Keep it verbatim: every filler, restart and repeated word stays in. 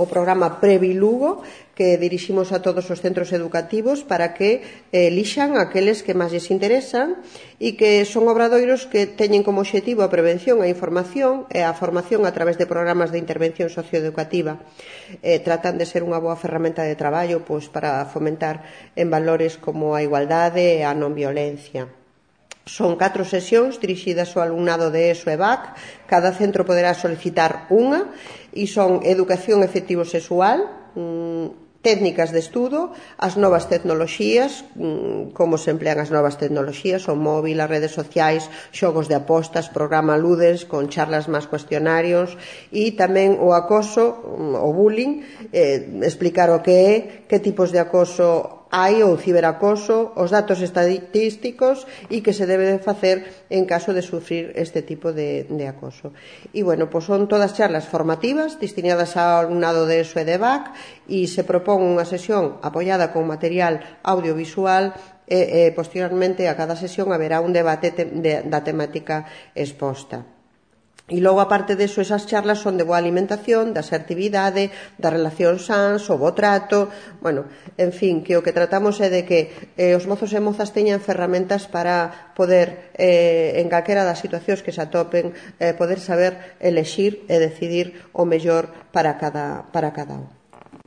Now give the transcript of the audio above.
o programa Previlugo, que diriximos a todos os centros educativos para que elixan aqueles que máis lles interesan e que son obradoiros que teñen como obxectivo a prevención, a información e a formación a través de programas de intervención socioeducativa. Eh, tratan de ser unha boa ferramenta de traballo pois, para fomentar en valores como a igualdade e a non violencia. Son catro sesións dirixidas ao alumnado de ESO e B A C. Cada centro poderá solicitar unha e son educación efectivo-sexual, mmm, técnicas de estudo, as novas tecnoloxías, como se emplean as novas tecnoloxías, o móvil, as redes sociais, xogos de apostas, programa Ludes, con charlas máis cuestionarios, e tamén o acoso, o bullying, eh, explicar o que é, que tipos de acoso hai ou ciberacoso, os datos estadísticos e que se debe de facer en caso de sufrir este tipo de, de acoso. E, bueno, pois son todas charlas formativas destinadas ao alumnado de ESO e de B A C e se propón unha sesión apoiada con material audiovisual e, e posteriormente a cada sesión haberá un debate te, de, da temática exposta. E logo, aparte deso, esas charlas son de boa alimentación, da asertividade, da relación sans, o bo trato, bueno, en fin, que o que tratamos é de que eh, os mozos e mozas teñan ferramentas para poder, eh, en calquera das situacións que se atopen, eh, poder saber elexir e decidir o mellor para cada, para cada un.